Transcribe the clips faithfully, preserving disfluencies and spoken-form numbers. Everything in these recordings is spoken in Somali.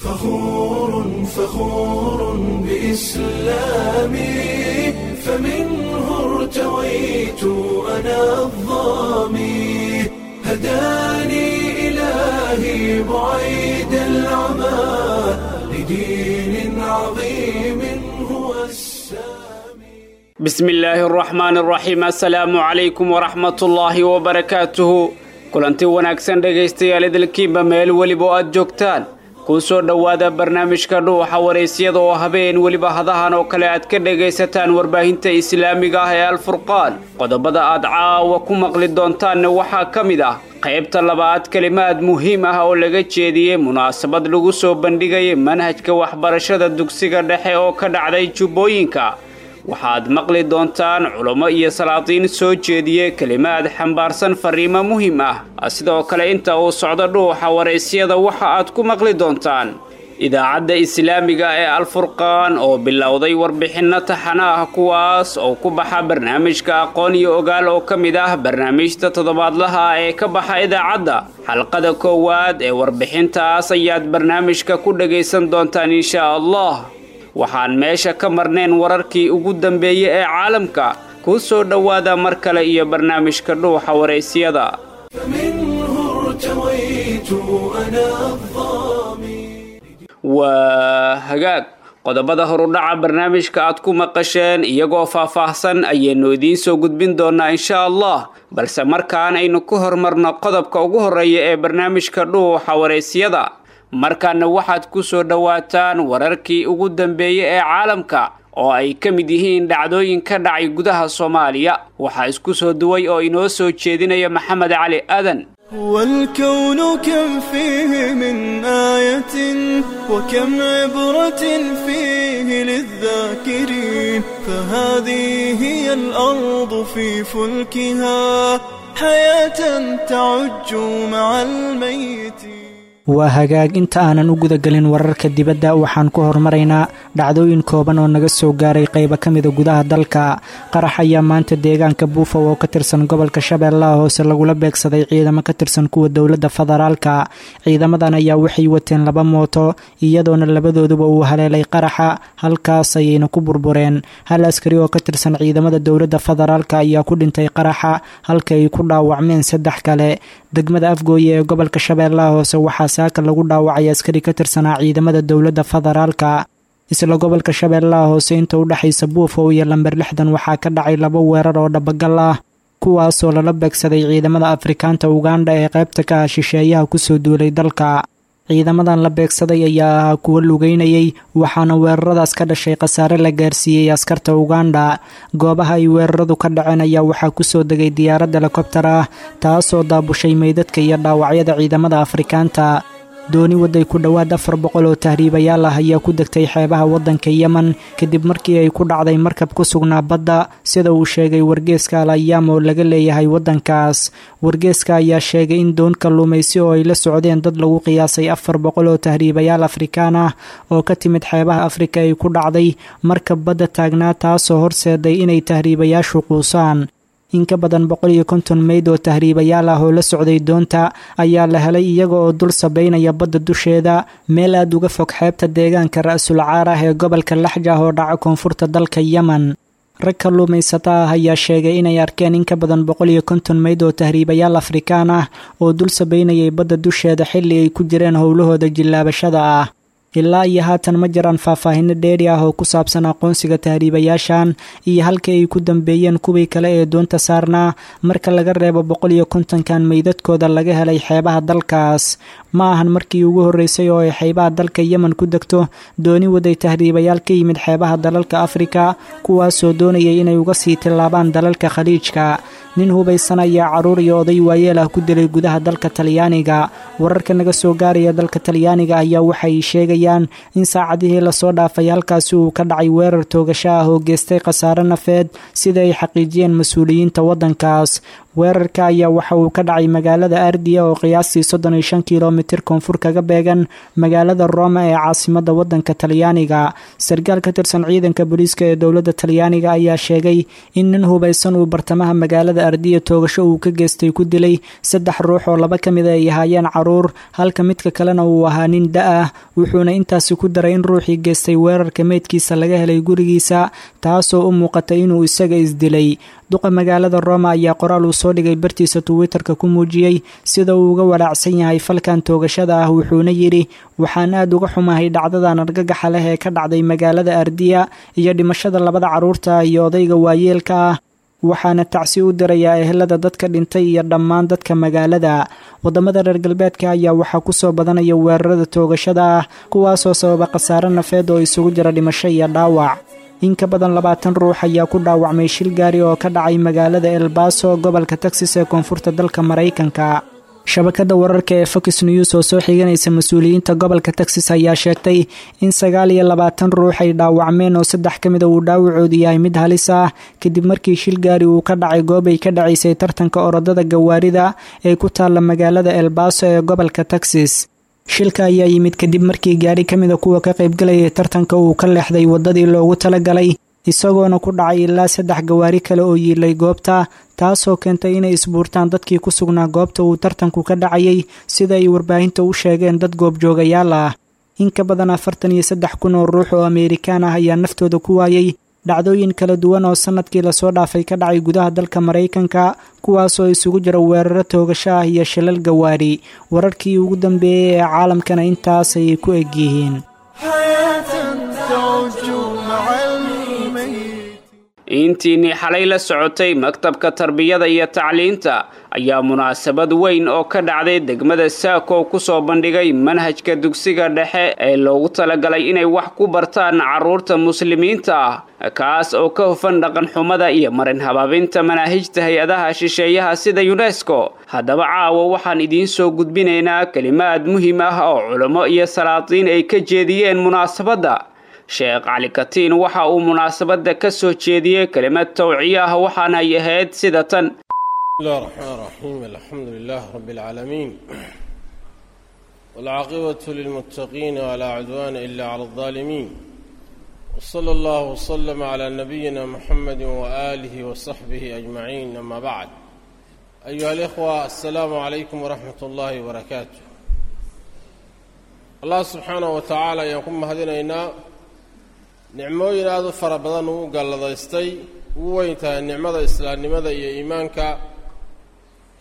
فخور فخور بإسلامي، فمنه ارتويت أنا الظامي، هداني إلهي بعيد العمى لدين عظيم هو السامي. بسم الله الرحمن الرحيم. السلام عليكم ورحمة الله وبركاته. Kulanti wanaagsan dhegaystayaal, idilkiinba meel weliba oo aad joogtaan, kuu soo dhowaada barnaamijka Dhuuxa Waraysyada oo habeen weliba hadahan oo kale aad ka dhegaysataan warbaahinta islaamiga ah ee Alfurqaan. Qodobada aad caawa ku maqli doontaanna waxaa ka mid ah qaybta labaad kelimaad muhiim ah oo laga jeediyey munaasabad lagu soo bandhigayay manhajka waxbarashada dugsiga dhexe oo ka dhacday Jubbooyinka. Waxaad maqli doontaan culamo iyo salaatiin soo jeediyey kelimaad xambaarsan fariimo muhiim ah. Sidoo kale inta uu socdo Dhuuxa Waraysyada waxa aad ku maqli doontaan idaacadda islaamiga ee Alfurqaan oo bilowday warbixinno taxana ah, kuwaas oo ku baxa barnaamijka Aqoon iyo Ogaal oo ka mid ah barnaamijta toddobaadlaha ah ee ka baxa idaacadda. Xalqada koowaad ee warbixintaas ayaad barnaamijka ku dhagaysan doontaan insha Allah. Waxaan meesha ka marnayn wararkii ugu dambeeyey ee caalamka. Kuu soo dhowaada mar kale iyo barnaamijka Dhuuxa Waraysyada. فمنه ارتويت أنا الظامي. Waa hagaag, qodobada horudhaca barnaamijka aad ku maqasheen iyagoo faahfaahsan ayaynu idiin soo gudbin doonaa insha Allah, balse markaan aynu ku hormarno qodobka ugu horreeya ee barnaamijka Dhuuxa Waraysyada. Markaana waxaad ku soo dhowaataan wararkii ugu dambeeyey ee caalamka oo ay ka mid yihiin dhacdooyin ka dhacay gudaha Soomaaliya. Waxaa isku soo duway oo inoo soo jeedinaya Maxamed Cali Aadan. والكون كم فيه من آية وكم عبرة فيه للذاكرين، فهذه هي الأرض في فلكها حياة تعج مع الميت. Waa hagaag, inta aanan u gudagelin wararka dibadda waxaan ku horumaraynaa dhacdooyin kooban oo naga soo gaaray qaybo ka mida gudaha dalka. Qarax ayaa maanta deegaanka Buufow oo ka tirsan gobolka Shabeellaha Hoose lagula beegsaday ciidamo ka tirsan kuwa dowladda federaalka. Ciidamadan ayaa waxay wateen laba mooto, iyadoona labadooduba uu haleelay qaraxa, halkaas ayayna ku burbureen. Hal askari oo ka tirsan ciidamada dowladda federaalka ayaa ku dhintay qaraxa, halka ay ku dhaawacmeen saddex kale. Degmada Afgooye ee gobolka Shabeellaha Hoose waxaa saaka lagu dhaawacay askari ka tirsanaa ciidamada dowladda federaalka. Isla gobolka Shabeellaha Hoose, inta u dhexaysa Buufow iyo lamber lixdan waxaa ka dhacay laba weerar oo dhabagal ah, kuwaasoo lala beegsaday ciidamada Afrikaanta Uganda ee qaybta ka ah shisheeyaha kusoo duulay dalka. Ciidamadan la beegsaday ayaa ahaa kuwo lugeynayay, waxaana weeraradaas ka dhashay khasaare la gaarsiiyey askarta Uganda. Goobaha ay weeraradu ka dhaceen ayaa waxaa kusoo degay diyaarad helikobtar ah, taasoo daabushay meydadka iyo dhaawacyada ciidamada Afrikaanta. Dooni waday ku dhowaad afar boqol oo tahriibayaal ah ayaa ku degtay xeebaha waddanka Yemen kadib markii ay ku dhacday markab ku sugnaa badda, sida uu sheegay wargeeska Al Ayaam oo laga leeyahay waddankaas. Wargeeska ayaa sheegay in doon kalluumaysi oo ay la socdeen dad lagu qiyaasay afar boqol oo tahriibayaal Afrikaan ah oo ka timid xeebaha Afrika ay ku dhacday markab badda taagnaa, taasoo horseeday inay tahriibayaashu quusaan. In ka badan boqol iyo konton meyd oo tahriibayaal ah oo la socday doonta ayaa la helay iyaga oo dul sabaynaya badda dusheeda, meel aad uga fog xeebta deegaanka Ra-sul Caar ah ee gobolka Laxjah oo dhaca koonfurta dalka Yemen. Rag kalluumaysata ah ayaa sheegay inay arkeen in ka badan boqol iyo konton meyd oo tahriibayaal Afrikaan ah oo dul sabaynayay badda dusheeda xilli ay ku jireen howlahooda jillaabashada ah. Ilaa iyo haatan ma jiraan faahfaahino dheeri ah oo ku saabsan aqoonsiga tahriibayaashan iyo halka ay ku dambeeyeen kuwii kale ee doonta saarnaa, marka laga reebo boqol iyo kontonkan meydadkooda laga helay xeebaha dalkaas. Ma ahan markii ugu horreysay oo ay xeebaha dalka Yemen ku degto dooni waday tahriibayaal ka yimid xeebaha dalalka Afrika, kuwaasoo doonayay inay uga sii tillaabaan dalalka Khaliijka. Nin hubaysan ayaa carruur iyo oday waayeel ah ku dilay gudaha dalka Talyaaniga. Wararka naga soo gaaraya dalka Talyaaniga ayaa waxay sheegayaan in saacadihii lasoo dhaafay halkaasi uu ka dhacay weerar toogasho ah oo geystay khasaare nafeed, sida ay xaqiijiyeen mas-uuliyiinta waddankaas. Weerarka ayaa waxa uu ka dhacay magaalada Ardiya oo qiyaastii soddon iyo shan kilomitir koonfur kaga beegan magaalada Roma ee caasimadda waddanka Talyaaniga. Sarkaal ka tirsan ciidanka booliiska ee dowladda Talyaaniga ayaa sheegay in nin hubaysan uu bartamaha magaalada Ardiya toogasho uu ka geystay ku dilay saddex ruux oo laba ka mid ay ahaayeen caruur, halka midka kalena uu ahaa nin da' ah. Wuxuuna intaasi ku daray in ruuxii geystay weerarka meydkiisa laga helay gurigiisa, taasoo u muuqatay inuu isaga isdilay. Duqa magaalada Roma ayaa qoraal uu soo dhigay bartiisa Twitterka ku muujiyey sida uu uga walaacsan yahay falkan toogashada ah, wuxuuna yidhi: waxaan aad uga xumahay dhacdadan argagaxa leh ee ka dhacday magaalada Ardiya iyo dhimashada labada carruurta iyo odayga waayeelka ah, waxaana tacsi u dirayaa ehelada dadka dhintay iyo dhammaan dadka magaalada. Wadamada reer galbeedka ayaa waxaa kusoo badanaya weerarada toogashada ah, kuwaasoo sababa khasaare nafeed oo isugu jira dhimasho iyo dhaawac. In ka badan labaatan ruux ayaa ku dhaawacmay shil gaari oo ka dhacay magaalada El Paso, gobolka Texas ee koonfurta dalka Maraykanka. Shabakada wararka ee Fox News oo soo xiganaysa mas-uuliyiinta gobolka Texas ayaa sheegtay in sagaal iyo labaatan ruux ay dhaawacmeen oo saddex ka mid a uu dhaawacoodu yahay mid halis ah, kadib markii shil gaari uu ka dhacay goob ay ka dhacaysay tartanka orodada gawaarida ee ku taalla magaalada El Paso ee gobolka Texas. Shilka ayaa yimid kadib markii gaari ka mida kuwa ka qaybgalayay tartanka uu ka leexday waddadii loogu talagalay, isagoona ku dhacay ilaa saddex gawaari kale oo yiilay goobta, taasoo keentay inay isbuurtaan dadkii ku sugnaa goobta uu tartanku ka dhacayay, sida ay warbaahinta u sheegeen dad goobjoogayaal ah. In ka badan afartan iyo saddex kun oo ruux oo Ameerikaan ah ayaa naftooda ku waayay dhacdooyin kala duwan oo sanadkii lasoo dhaafay ka dhacay gudaha dalka Maraykanka, kuwaasoo isugu jira weeraro toogasho ah iyo shilal gawaari. Wararkii ugu dambeeyey ee caalamkana intaas ayay ku eg yihiin. Intiinii xalay la socotay maktabka tarbiyada iyo tacliinta ayaa munaasabad weyn oo ka dhacday degmada Saako ku soo bandhigay manhajka dugsiga dhexe ee loogu talagalay inay wax ku bartaan carruurta muslimiinta ah, kaas oo ka hufan dhaqan xumada iyo marin habaabinta manaahijta hay-adaha shisheeyaha sida UNESCO. Haddaba caawa waxaan idiin soo gudbinaynaa kelimaad muhiim ah oo culamo iyo salaatiin ay ka jeediyeen munaasabadda. Sheekh Cali Katiin waxa uu munaasabadda ka soo jeediyey kelimad tawciye ah, waxaana ay ahayd sida tan: بسم الله الرحمن الرحيم، الحمد لله رب العالمين، والعاقبة للمتقين، ولا عدوان إلا على الظالمين، وصلى الله وسلم على نبينا محمد وآله وصحبه أجمعين، أما بعد، أيها الإخوة، السلام عليكم ورحمة الله وبركاته. Allah subxaanahu wa tacaala ayaan ku mahadinaynaa nicmooyin aada u fara badan uu galladaystay, ugu weyn tahay nicmada islaamnimada iyo iimaanka,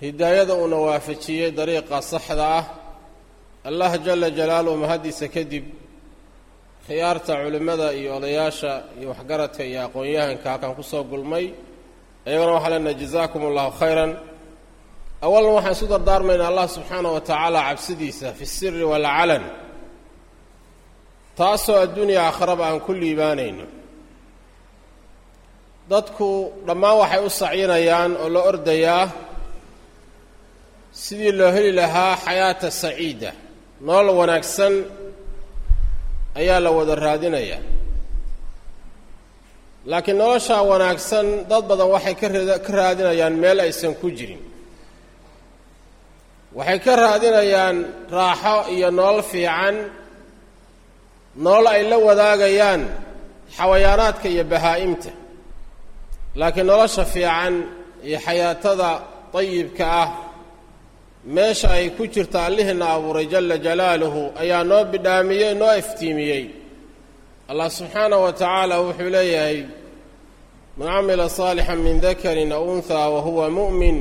hidaayada uuna waafajiyey dariiqa saxda ah. Allah jala jalaaluhu mahaddiisa kadib, khiyaarta culimmada iyo odayaasha iyo waxgaradka iyo aqoon-yahanka halkan kusoo gulmay, iyagana waxaa leenahay jazaakum allahu khayran. Awalan waxaan isu dardaarmaynaa Allah subxaanahu wa tacaala cabsidiisa fi siri waalcalan, taasoo adduunya aakharaba aan ku liibaanayno. Dadku dhammaan waxay u sacyinayaan oo la ordayaa sidii loo heli lahaa xayaata saciida, nolol wanaagsan ayaa la wada raadinayaa. Laakiin noloshaa wanaagsan dad badan waxay ka ra ka raadinayaan meel aysan ku jirin. Waxay ka raadinayaan raaxo iyo nolol fiican, nolol ay la wadaagayaan xawayaanaadka iyo bahaa'imta. Laakiin nolosha fiican iyo xayaatada dayibka ah meesha ay ku jirta Allihiina abuuray jala jalaaluhu ayaa noo bidhaamiyey, noo iftiimiyey. Allah subxaanahu wa tacaala wuxuu leeyahay: man camila saalixan min dakarin aw unthaa wa huwa mu'min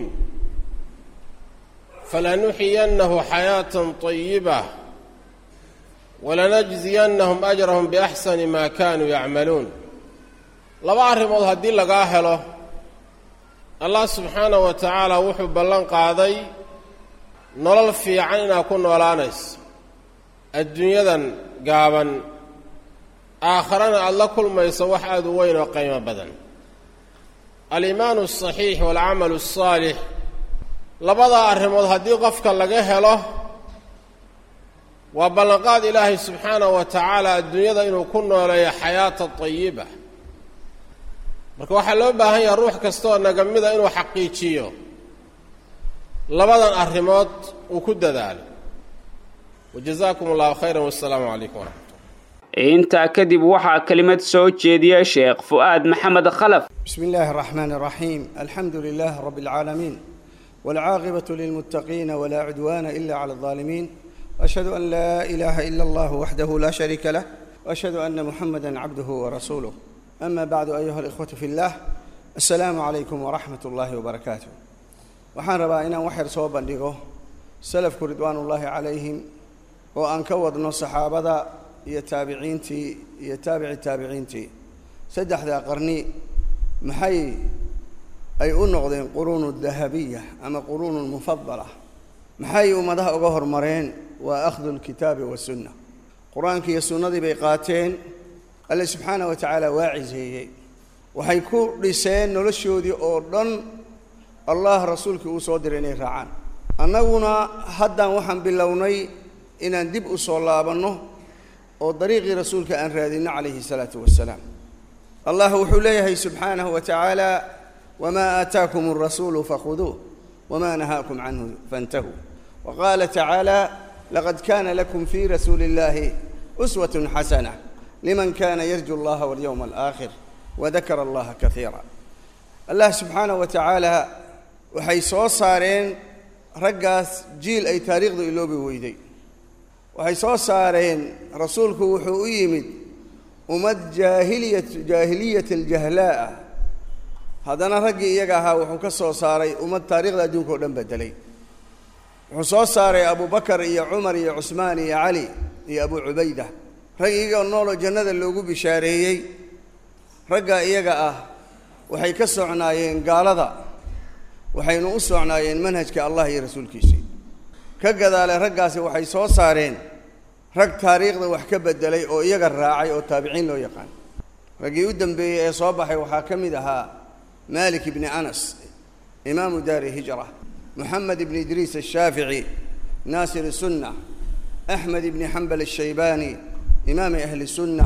falanuxiyannahu xayaatan طayiba walanajziyannahum ajrahum biaxsani maa kaanuu yacmaluun. Laba arrimood haddii lagaa helo, Allah subxaanahu wa tacaala wuxuu ballan qaaday nolol fiican inaad ku noolaanayso adduunyadan gaaban, aakharana aada la kulmayso wax aada u weyn oo qiimo badan. Aliimaanu asaxiix waalcamalu asaalix, labadaa arrimood haddii qofka laga helo, waa ballanqaad Ilaahay subxaanahu wa tacaala adduunyada inuu ku nooleeyo xayaata tayiba. Marka waxaa loo baahan yahay ruux kastaoo naga mida inuu xaqiijiyo Labadan arrimood uu ku dadaalo. Wajazaakum allahu khayran, wassalaamu calaykum waraxmatullah. Intaa kadib waxaa kelimad soo jeediya Sheekh Fu'aad Maxamed Khalaf. بسم الله الرحمن الرحيم، الحمد لله رب العالمين، والعاقبة للمتقين، ولا عدوان إلا على الظالمين، أشهد أن لا إله إلا الله وحده لا شريك له، وأشهد أن محمدا عبده ورسوله، أما بعد، أيها الإخوة في الله، السلام عليكم ورحمة الله وبركاته. Waxaan rabaa inaan wax yar soo bandhigo salafku ridwaanullaahi calayhim, oo aan ka wadno saxaabada iyo taabiciintii iyo taabici taabiciintii. Saddexdaa qarni maxay ay u noqdeen quruunu dahabiya ama quruunu mufadala? Maxay ummadaha uga hormareen? Waa akhdu lkitaabi wasunna. Qur-aankii iyo sunnadii bay qaateen. Alle subxaanah wa tacaala waa ciseeyey. Waxay ku dhiseen noloshoodii oo dhan Allah rasuulkii uu soo diray inay raacaan. Annaguna haddaan waxaan bilownay inaan dib u soo laabanno oo dariiqii rasuulka aan raadinno calayhi salaatu wasalaam. Allah wuxuu leeyahay subxaanahu wa tacaala: "Wamaa aataakum alrasuulu fakhuduuh, wamaa nahaakum canhu fantahuu." Waqaala tacaala: "Laqad kaana lakum fii rasuuli illahi uswatun xasana liman kana yarju allaha walyowma alaakhir wadakara allaha kaiira." Allah subxaanahu wa tacaala waxay soo saareen raggaas jiil ay taariikhdu iloobi weyday. Waxay soo saareen, rasuulku wuxuu u yimid ummad jaahiliyat jaahiliyat aljahlaa. Haddana raggii iyaga ahaa wuxuu ka soo saaray ummad taariikhda adduunka o dhan bedelay. Wuxuu soo saaray Abubakar iyo Cumar iyo Cusmaan iyo Cali iyo Abu Cubayda, rag iyagoo nooloo jannada loogu bishaareeyey. Ragga iyaga ah waxay ka socnaayeen gaalada, waxaynu u socnaayeen manhajka Allah iyo rasuulkiisii. Ka gadaale raggaasi waxay soo saareen rag taariikhda wax ka beddelay oo iyaga raacay oo taabiciin loo yaqaan. Raggii u dambeeyey ee soo baxay waxaa ka mid ahaa Malik ibni Anas, imaamu daari hijra, Moxamed ibni Idriis ashaafici, naasir sunna, Axmed ibni Xambal ashaybaani, imaami ahli sunna,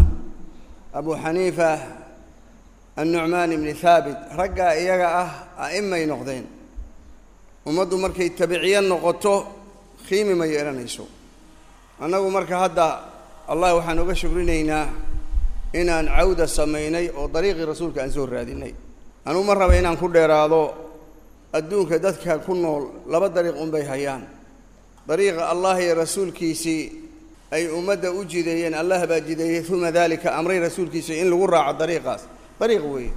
Abu Xaniifa annucmaan ibni Haabit. Raggaa iyaga ah a'imay noqdeen. Ummaddu markay tabiciye noqoto qiimi ma yeelanayso. Annagu marka hadda Allah waxaan uga shukrinaynaa inaan cawda samaynay oo dariiqii rasuulka aan soo raadinay. Anugu ma raba inaan ku dheeraado. Adduunka dadka ku nool laba dariiq unbay hayaan: dariiqa Allah iyo rasuulkiisii ay ummadda u jideeyeen. Allah baa jideeyey, uma daalika amray rasuulkiisii in lagu raaco dariiqaas. Dariiq weeye.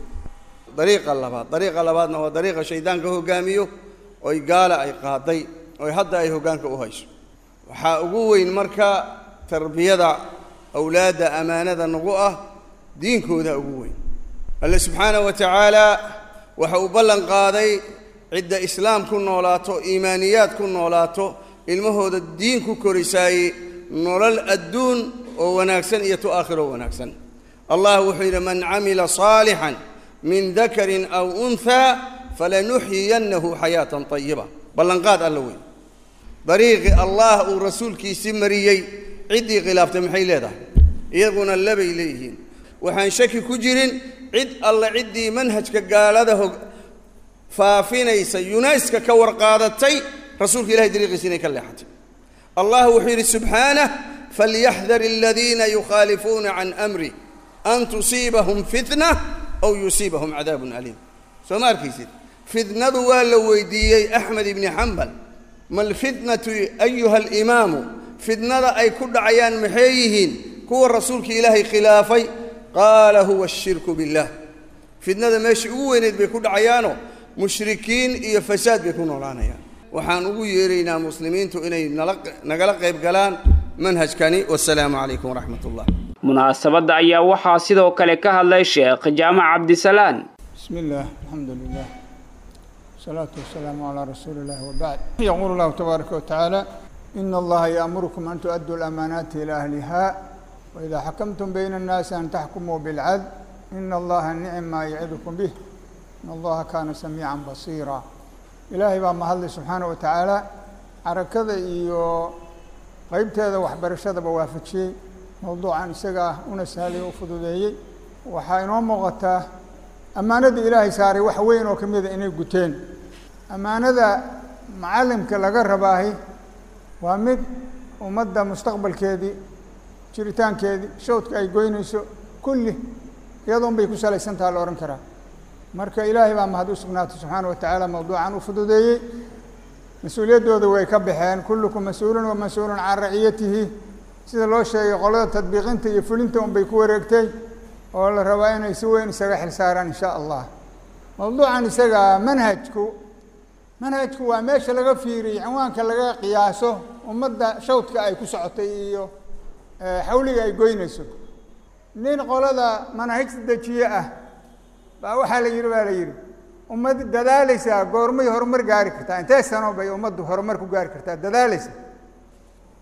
Dariiqa labaad, dariiqa labaadna waa dariiqa shaydaanka hoggaamiyo oy gaala ay qaaday oy hadda ay hoggaanka u hayso. Waxaa ugu weyn marka tarbiyada awlaadda, amaanada nagu ah diinkooda ugu weyn. Alle subxaanahu wa tacaala waxa uu ballan qaaday cidda islaam ku noolaato, iimaaniyaad ku noolaato, ilmahooda diin ku korisaaye, nolol adduun oo wanaagsan iyo tu aakhiro wanaagsan. Allah wuxuu yidhi: "Man camila saalixan min dakarin aw unthaa falanuxyiyannahu xayaatan tayiba." Ballanqaad alla wey. Dariiqii Allah uu rasuulkiisii mariyey ciddii khilaaftay maxay leedahay? Iyaguna labay leeyihiin. Waxaan shaki ku jirin cid alle ciddii manhajka gaalada hog faafinaysa, yunayska ka warqaadatay, rasuulka ilahay dariiqiisi inay ka leexatay. Allah wuxuu yidhi subxaanah: "Falyaxdar aladiina yukhaalifuuna can amri an tusiibahum fitna aw yusiibahum cadaabun aliim." Soo ma arkaysid? Fitnadu waa la weydiiyey Axmed ibni Xambal: "Ma alfitnatu ayuha alimaamu?" Fitnada ay ku dhacayaan maxay yihiin kuwa rasuulka ilaahay khilaafay? Qaala: "Huwa ashirku billah." Fitnada meeshii ugu weyneyd bay ku dhacayaano mushrikiin iyo fasaad bay ku noolaanayaan. Waxaan ugu yeeraynaa muslimiintu inay nala nagala qayb galaan manhajkani. Wasalaamu calaykum waraxmat ullah. Munaasabadda ayaa waxaa sidoo kale ka hadlay Sheekh Jaamac Cabdisalaan. بسم الله، الحمد لله، والصلاة والسلام على رسول الله، وبعد. يقول الله تبارك وتعالى: "إن الله يأمركم أن تؤدوا الأمانات إلى أهلها وإذا حكمتم بين الناس أن تحكموا بالعدل إن الله نعم ما يعظكم به إن الله كان سميعا بصيرا." Ilaahay baa mahadlay subxaanaه wa tacaala, xarakada iyo qeybteeda waxbarashadaba waafajiyey mowduucan isaga ah, una sahlay oo u fududeeyey. Waxaa inoo muuqataa ammaanada ilaahay saaray wax weyn oo ka mida inay guteen. Ammaanada Macallimka laga rabaahi waa mid ummadda mustaqbalkeedii, jiritaankeedii, shawdka ay goynayso kulli iyadoon bay ku salaysan taha la odhan karaa. Marka Ilaahay baa mahad u sugnaatay subxaana wa tacaala, mawduucan u fududeeyey. Mas-uuliyaddooda way ka baxeen, kullukum mas-uulun wa mas-uulun can raciyatihi, sida loo sheegay qolada tadbiiqinta iyo fulinta un bay ku wareegtay, oo la rabaa inay si weyn isaga xil saaraan insha Allah. Mawduucan isaga manhajku, manhajku waa meesha laga fiiriyey, cinwaanka laga qiyaaso ummadda shawdka ay ku socotay iyo xawliga ay goynayso. Nin qolada manahijta dejiye ah baa waxaa la yidhi baa la yidhi ummad dadaalaysaa goormay horumar gaari kartaa? Intee sano bay ummaddu horumar ku gaari kartaa dadaalaysa?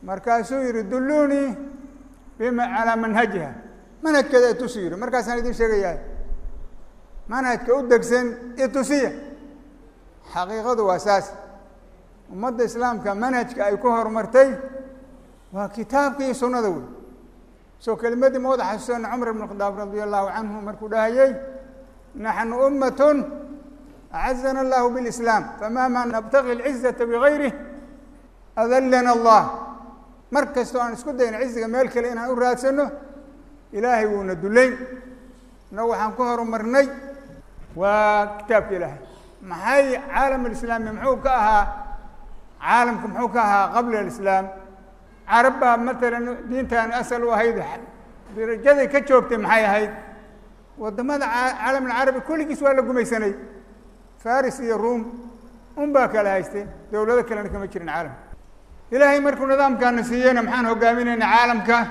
Markaasuu yidhi dulluunii bima calaa manhajiha, manhajkeeda itusi yidhi, markaasaan idin sheegayaa manhajka u degsan itusiya. Xaqiiqadu waa saas, ummadda islaamka manhajka ay ku horumartay waa kitaabka iyo sunnada wey. Soo kelimadii ma wada xasuusana Cumar ibn Khadaab radia allahu canhu markuu dhahayey, naxnu ummatun acazana allahu bilislaam famahma nabtaqi alcizata bigayrih adallana allah. Mar kastoo aan isku dayno ciziga meel kale inaan u raadsano, Ilaahay wuuna dullayn. Innagu waxaan ku horumarnay waa kitaabka Ilaahay. Maxay caalam alislaami muxuu ka ahaa? Caalamka muxuu ka ahaa qabla alislaam? Carab baa matalan diintan asal u ahayd, darajaday ka joogtay maxay ahayd? Waddamada caalam alcarabi kulligiis waa la gumaysanay, Faris iyo Ruum un baa kala haystay, dowlado kalena kama jirin caalamka. Ilaahay markuu nidaamkaana siiyeyna maxaan hogaaminaynaa caalamka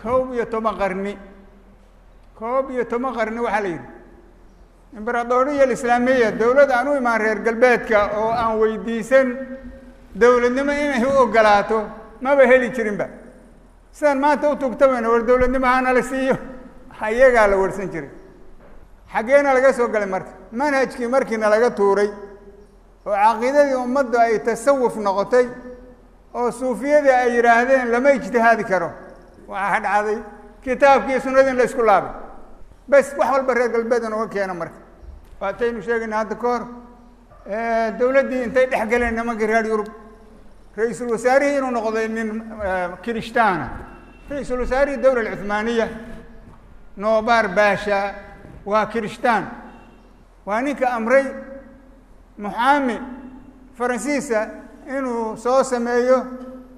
koob iyo toban qarni, koob iyo toban qarni. Waxaa la yidhi imberadooriya alislaamiya, dowlad aan u imaan reer galbeedka oo aan weydiisan dowladnimo inay u ogolaato maba heli jirinba. Sidaan maanta u tugtamayna war dowladnimo hana la siiyo, ayagaa la warsan jiray. Xaggeena laga soo galay marka? Manhajkii markiina laga tuuray oo caqiidadii ummaddu ay tasawuf noqotay oo suufiyadii ay yidhaahdeen lama ijtihaadi karo, waxaa dhacday kitaabkii sunnadii in la isku laabay. Bes wax walba reer galbeed inooga keena. Marka waataynu sheegayna hadda ka hor, dowladdii intay dhex galeen nimankii reer Yurub, ra-iisul wasaarihii inuu noqday nin kirishtaana. Ra-iisul wasaarihii dowla alcuthmaaniya Noobar Baasha waa kirishtaan, waa ninka amray muxaami Faransiisa inuu soo sameeyo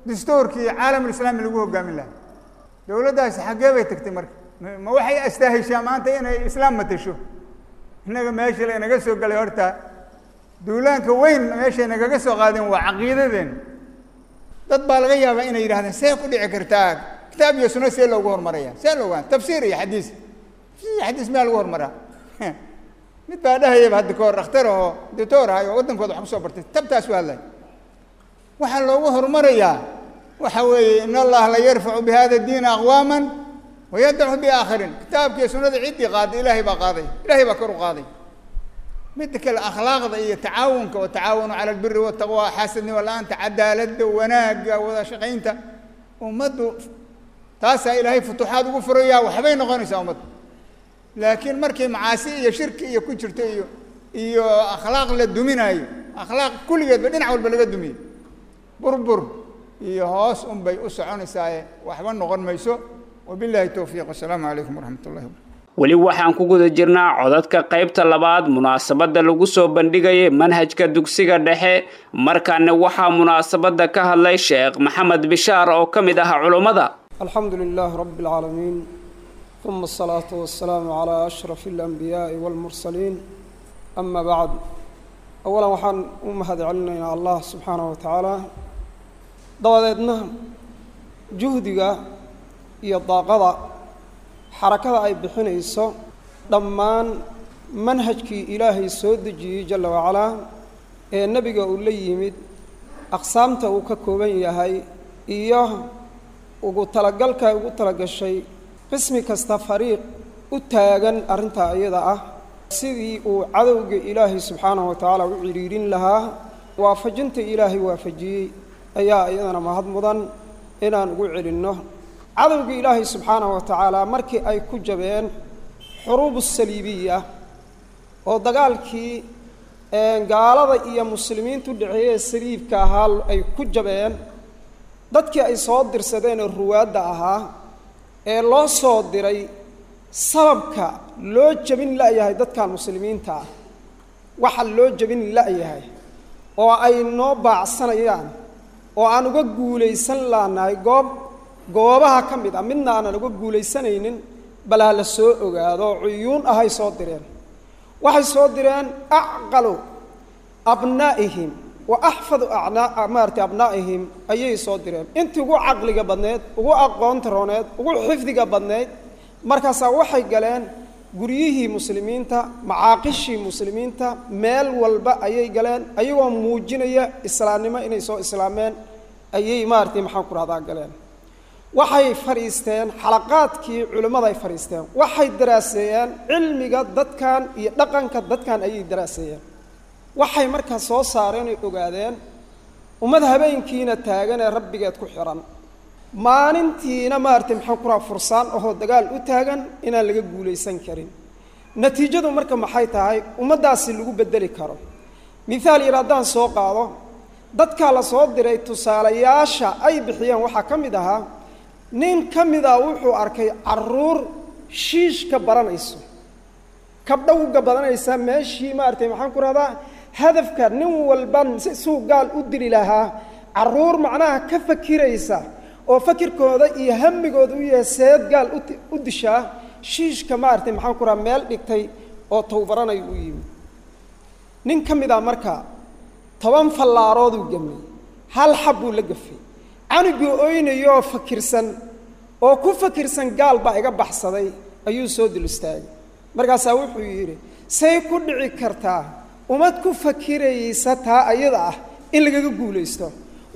dastuurkii caalamulislaami lagu hogaamin lahaa. Dowladdaasi xaggee bay tagtay marka? Ma waxay astaahishaa maanta inay islaam matasho? Innaga meesha la inaga soo galay horta duulaanka weyn meeshay nagaga soo qaadeen waa caqiidadeen. Dad baa laga yaabaa inay yidhahdeen see ku dhici kartaa kitaab iyo sunno see loogu horumaraya, see loogu tafsiir iyo xadiis, tafsiir iyo xadiis miyaa lagu horumaraa? Mid baa dhahayaba hadda kahor, dhakhtar oo doctor ahay oo waddankooda wax kusoo bartay, tabtaas u hadlay. Waxaa loogu horumarayaa waxa weeye in Allaha la yarfacu bi hada diina aqwaaman wayadacu biaakharin. Kitaabkiiyo sunnada ciddii qaaday Ilaahay baa qaaday, Ilaahay baa kor u qaaday. Midda kale akhlaaqda iyo tacaawunka, watacaawanu cala albiri waltaqwa, xaasadnimo la-aanta, cadaaladda, wanaagga, wada shaqaynta ummaddu, taasaa Ilaahay futuuxaad ugu furayaa, waxbay noqonaysaa ummaddu. Laakiin markay macaasi iyo shirki iyo ku jirto iyo iyo akhlaaq la duminaayo, akhlaaq kulligeedba dhinac walba laga dumiyey, burbur iyo hoos un bay u soconaysaaye waxba noqon mayso. Wabillahi towfiiq, wasalaamu calaykum waraxmat ullahi wabarakatu. Weli waxaan ku guda jirnaa codadka qaybta labaad munaasabadda lagu soo bandhigayay manhajka dugsiga dhexe. Markaana waxaa munaasabadda ka hadlay Sheekh Maxamed Bishaar oo ka mid ah culummada. الحمد لله رب العالمين، ثم الصلاة والسلام على أشرف الأنبياء والمرسلين، أما بعد. أولا waxaan u mahadcelinaynaa Allah subxaanaه wa tacaala, dabadeedna juhdiga iyo daaqada xarakada ay bixinayso dhammaan manhajkii Ilaahay soo dejiyey jala wacalaa ee nebiga uu la yimid, aqsaamta uu ka kooban yahay iyo ugu talagalka ay ugu talagashay qismi kasta fariiq u taagan arrintaa iyada ah sidii uu cadowga Ilaahay subxaanahu wa tacaala u cidhiidhin lahaa, waafajinta Ilaahay waafajiyey ayaa iyadana mahad mudan inaan ugu celinno. Cadowga Ilaahay subxaanahu wa tacaala markii ay ku jabeen xuruubu saliibiya oo dagaalkii Gaalada iyo muslimiintu dhexeeyee saliibka ahaa ay ku jabeen, dadkii ay soo dirsadeen oo ruwaadda ahaa ee loo soo diray sababka loo jabin la'yahay dadkan muslimiinta ah, waxa loo jabin la'yahay oo ay noo baacsanayaan oo aan uga guulaysan laanahay goob goobaha ka mid ah midna aanan uga guulaysanaynin, bal ha la soo ogaado. Cuyuun ahay soo direen, waxay soo direen acqalu abnaa'ihim wa axfadu acnaa maaragtay abnaa'ihim ayay soo direen, intii ugu caqliga badneed, ugu aqoonta rooneed, ugu xifdiga badneyd. Markaasaa waxay galeen guryihii muslimiinta, macaaqishii muslimiinta, meel walba ayay galeen ayagoo muujinaya islaamnimo inay soo islaameen ayay maaragtay maxaan ku rahdaa galeen. Waxay fadhiisteen xalaqaadkii culimmada ay fadhiisteen, waxay daraaseeyeen cilmiga dadkan iyo dhaqanka dadkan ayay daraaseeyeen. Waxay markaa soo saareen oy ogaadeen ummad habeenkiina taagan ee rabbigeed ku xiran, maalintiina maaragtay maxaan ku rahaa fursaan ahoo dagaal u taagan inaan laga guulaysan karin. Natiijadu marka maxay tahay ummaddaasi lagu beddeli karo? Mithaal yar haddaan soo qaado, dadkaa la soo diray tusaalayaasha ay bixiyeen waxaa ka mid ahaa nin ka mid ah wuxuu arkay carruur shiishka baranayso, kabdhowga badanaysa meeshii maaragtay maxaan ku rahdaa hadafka nin walban si suu gaal u dili lahaa, carruur macnaha ka fakiraysa oo fakirkooda iyo hamigooda u yahay seed gaal u dishaa, shiishka maaragtay maxaan ku rahaa meel dhigtay oo towbaranayo u yimid. Nin ka mid ah marka toban fallaarooduu gamay, hal xab buu la gafay. Canugii oynayooo fakirsan oo ku fakirsan gaal baa iga baxsaday ayuu soo dul istaagay. Markaasaa wuxuu yidhi say ku dhici kartaa ummad ku fakiraysa taa ayada ah in lagaga guulaysto?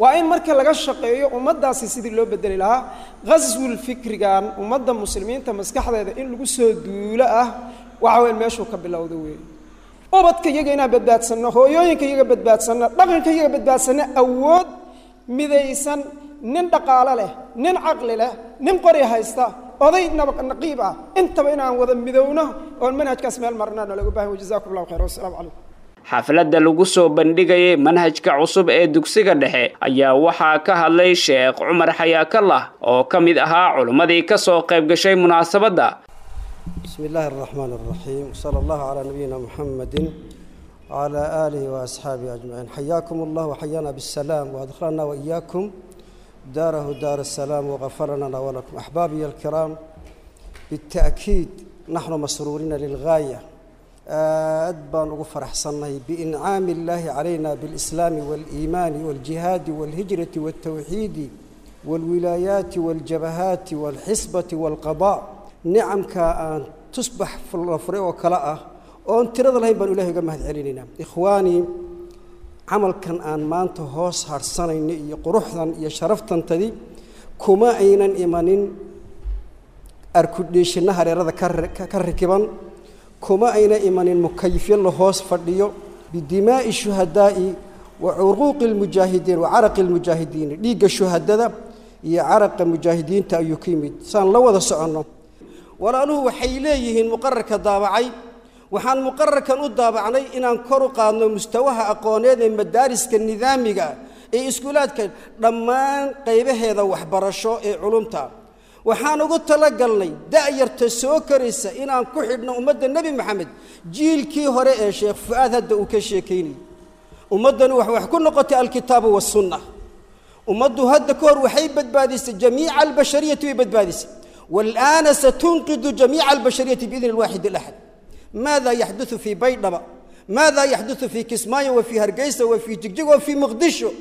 Waa in marka laga shaqeeyo ummaddaasi sidii loo beddeli lahaa. Qaswul fikrigan ummadda muslimiinta maskaxdeeda in lagu soo duulo ah waxa weyn meeshuu ka bilowda weeye. Ubadka iyaga inaan badbaadsanno, hooyooyinka iyaga badbaadsanno, dhaqanka iyaga badbaadsanno, awood midaysan, nin dhaqaalo leh, nin caqli leh, nin qori haysta, oday naqiib ah, intaba inaan wada midowno oon manhajkaas meel marnaa looga baahan. Wajazaakum allahu khayr, wassalaamu calaykum. Xafladda lagu soo bandhigayay manhajka cusub ee dugsiga dhexe ayaa waxaa ka hadlay Sheekh Cumar Xayaakallah oo ka mid ahaa culimmadii ka soo qayb gashay munaasabadda. بسم الله الرحمن الرحيم، وصلى الله على نبينا محمد وعلى آله وأصحابه أجمعين. حياكم الله وحيانا بالسلام وأدخلنا وإياكم داره دار السلام وغفر لنا ولكم. أحبابي الكرام، بالتأكيد نحن مسرورين للغاية، aad baan ugu faraxsannahay biincaami illaahi calayna bil'islaami waaliimaani waaljihaadi waalhijrati waaltawxiidi waalwilaayaati waaljabahaati waalxisbati waalqadaa. Nicamkaa aan tusbax la furay oo kale ah oon tirada lahayn baan ilahay uga mahad celinaynaa. Ikhwaanii, camalkan aan maanta hoos harhsanayno iyo quruxdan iyo sharaftantadii kuma aynan imanin arkudhiishinna hareerada ka rikiban, kuma ayna imanin mukayifyo la hoos fadhiyo. Bidimaa'i shuhadaa'i wa curuuqi lmujaahidiin wa caraqi lmujaahidiin, dhiigga shuhadada iyo caraqa mujaahidiinta ayuu ka yimid. Saan la wada soconno, walaaluhu waxay leeyihiin muqararka daabacay, waxaan muqararkan u daabacnay inaan kor u qaadno mustawaha aqooneed ee madaariska nidaamiga ee iskuulaadka dhammaan qaybaheeda waxbarasho ee culumta. Waxaan ugu talagalnay da'yarta soo koraysa inaan ku xidhno ummadda Nebi Maxamed, jiilkii hore ee Sheekh Fu'aad hadda uu ka sheekaynayay. Ummaddani wax wax ku noqotay alkitaabu waasunna. Ummaddu hadda ka hor waxay badbaadisay jamiica albashariyati, way badbaadisay, walaana satunqidu jamiica albashariyati biidni alwaaxid alaxad. Maada yaxduثu fii Baydhaba? Maada yaxduثu fii Kismaayo wa fii Hargeysa wa fii Jigjig wa fii Muqdisho?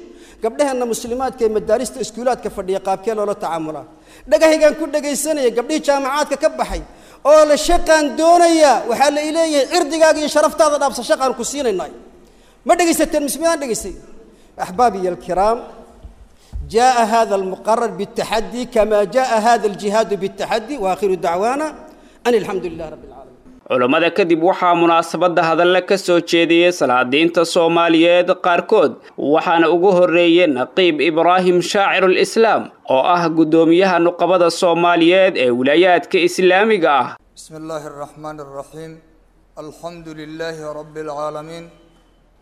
Gabdhaheenna muslimaadka ee madaarista iskuulaadka fadhiya qaabkee loola tacaamulaa? Dhagahaygaan ku dhegaysanaya gabdhihii jaamacaadka ka baxay oo la shaqaan doonayaa, waxaa la ileeyahay cirdigaaga iyo sharaftaada dhaafsa, shaqaan ku siinaynay. Ma dhegaysateen? Mismidaan dhegaystay. Axbaabiy alkiraam, جاء هذا المقرر بالتحدي كما جاء هذا الجهاد بالتحدي، وآخر دعوانا أن الحمد لله رب العالمين. Culammada kadib waxaa munaasabadda hadalla ka soo jeediyey salaadiinta Soomaaliyeed qaarkood, waxaana ugu horreeyey Naqiib Ibraahim Shaacirul Islaam oo ah guddoomiyaha nuqabada Soomaaliyeed ee wilaayaadka islaamiga ah. بسم الله الرحمن الرحيم، الحمد لله رب العالمين،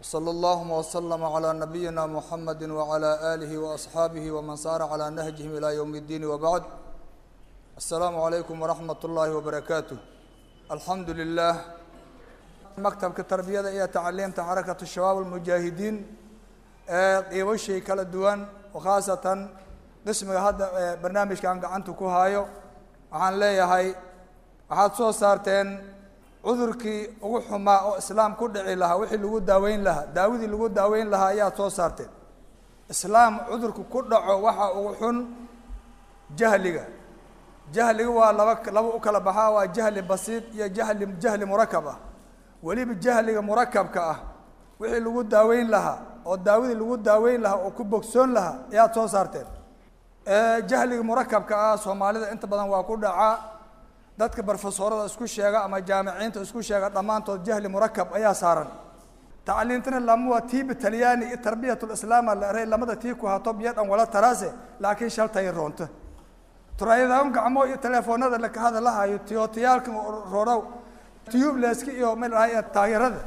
وصلى اللهم وسلم على نبينا محمد وعلى آله وأصحابه ومن سار على نهجهم إلى يوم الدين وبعد. السلام عليكم ورحمة الله وبركاته. الحمد لله. مكتب التربية إلى تعليم حركة الشباب المجاهدين قيوشي kala duwan وخاصة qismiga hadda barnaamijkan gacanta ku hayo, waxaan leeyahay waxaad soo saarteen cudurkii ugu xumaa oo islaam ku dhici lahaa, wixii lagu daaweyn lahaa, daawadii lagu daaweyn lahaa ayaad soo saarteen. Islaam cudurku ku dhaco waxa ugu xun jahliga. Jahliga waa laba laba u kala baxaa, waa jahli basiid iyo jahli jahli murakab ah. Weliba jahliga murakabka ah wixii lagu daaweyn lahaa oo daawadii lagu daaweyn lahaa oo ku bogsoon lahaa ayaad soo saarteen. Jahliga murakabka ah Soomaalida inta badan waa ku dhacaa. Dadka barfasoorada isku sheega ama jaamiciinta isku sheega dhammaantood jahli murakab ayaa saaran. Tacliintana lama waa tiiba talyaani iyo tarbiyatul islaam la eray lamada tii ku hato biyo dhan wala taraase, laakiin shaltay roonta turaayadahan gacmo iyo telefoonada la ka hadlahayo tiyootiyaalka roorow tubelesska iyo meel ay taageerada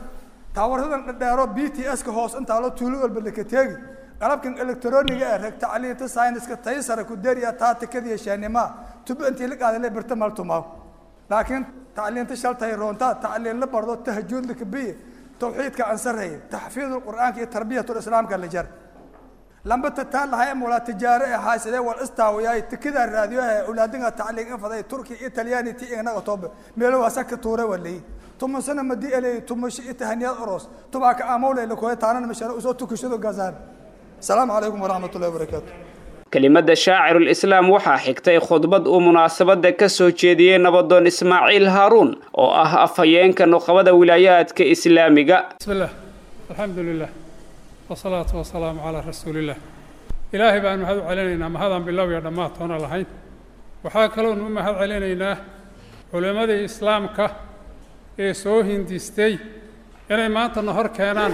taawaradan dheero B T S ka hoos inta la tuulo walba la ka teegi qalabkan elektarooniga ee rag tacliinta sayniska taysara ku dariya taatikada iyo shaanima tubo intii la qaaday la birta maltumaa. Laakiin tacliinta shaltay roonta tacliin la bardo tahajjud la kabiye tawxiidka ansaray taxfiidul quraanka iyo tarbiyatul islaamka la jar lamba tatal hay mula tijaare ee haasidee wal istaawiyay tikida raadiyaha awlaadinga tacliin in faday Turkiya iyo Talyaani tii inaga toob meelo wasa ka tuuray walay toban sano madi elay toban itahaniyad aroos tobanka amawle la kooy taanan masharo usoo tukashado gazaan. Salaamu calaykum waraxmatullaahi wabarakaatuh. Kelimada shaacirul islaam waxaa xigtay khudbad uu munaasabada ka soo jeediyey nabadoon Ismaaciil Haaruun oo ah afhayeenka nuqabada wilaayaadka islaamiga. Bismillaah, alxamdulilah, wasalaatu wasalaamu calaa rasuulillaah. Ilaahay baan mahad u celinaynaa, mahadaan bilow iyo dhammaad toona lahayn. Waxaa kaloonu u mahad celinaynaa culimmadii islaamka ee soo hindistay inay maantana hor keenaan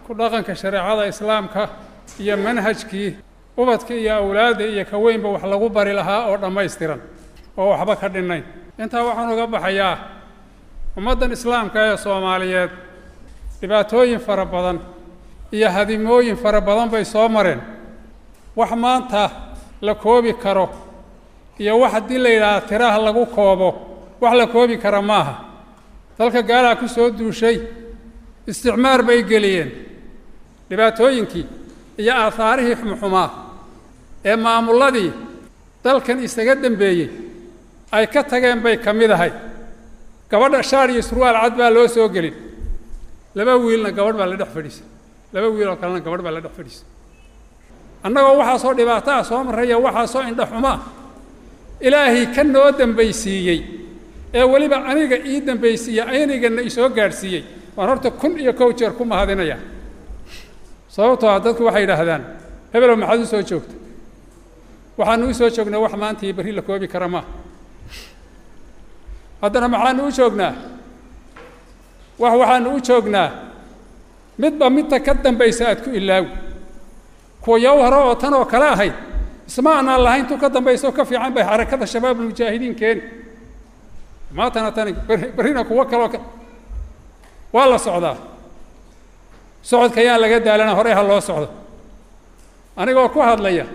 ku dhaqanka shareecada islaamka iyo manhajkii ubadka iyo awlaadda iyo ka weynba wax lagu bari lahaa oo dhammaystiran oo waxba ka dhinnayn. Intaa waxaan uga baxayaa ummaddan islaamka ee Soomaaliyeed dhibaatooyin fara badan iyo hadimooyin fara badan bay soo mareen. Wax maanta la koobi karo iyo wax haddii la yidhaahdo tiraha lagu koobo wax la koobi kara maaha. Dalka gaalaa ku soo duushay, isticmaar bay geliyeen. Dhibaatooyinkii iyo aahaarihii xumxumaa ee maamulladii dalkan isaga dambeeyey ay ka tageen bay ka mid ahay. Gabadha shaar iyo surwaal cad baa loo soo gelin, laba wiilna gabadh baa la dhex fadhiisay, laba wiil oo kalena gabadh baa la dhex fadhiisay. Annagoo waxaasoo dhibaato ah soo marraya, waxaasoo indhaxumaa ilaahay ka noo dambaysiiyey ee weliba aniga ii dambaysiiyey, aynigana isoo gaadhsiiyey, waan horta kun iyo kow jeer ku mahadinayaa. Sababtoo ah dadku waxay yidhaahdaan hebelow maxaad u soo joogta? Waxaanu u soo joognaa wax maanta iyo berri la koobi kara maaha. Haddana maxaanu u joognaa? Wax waxaanu u joognaa midba midta ka dambaysa aad ku ilaawi. Kuwa yow hore oo tan oo kale ahayd isma aanaan lahayn tu ka dambaysa oo ka fiican bay xarakada shabaabulmujaahidiin keeni. Maantana tani berrina kuwo kaloo ka waa la socdaa. Socodka ayaan laga daalana, horey ha loo socdo. Anigoo ku hadlaya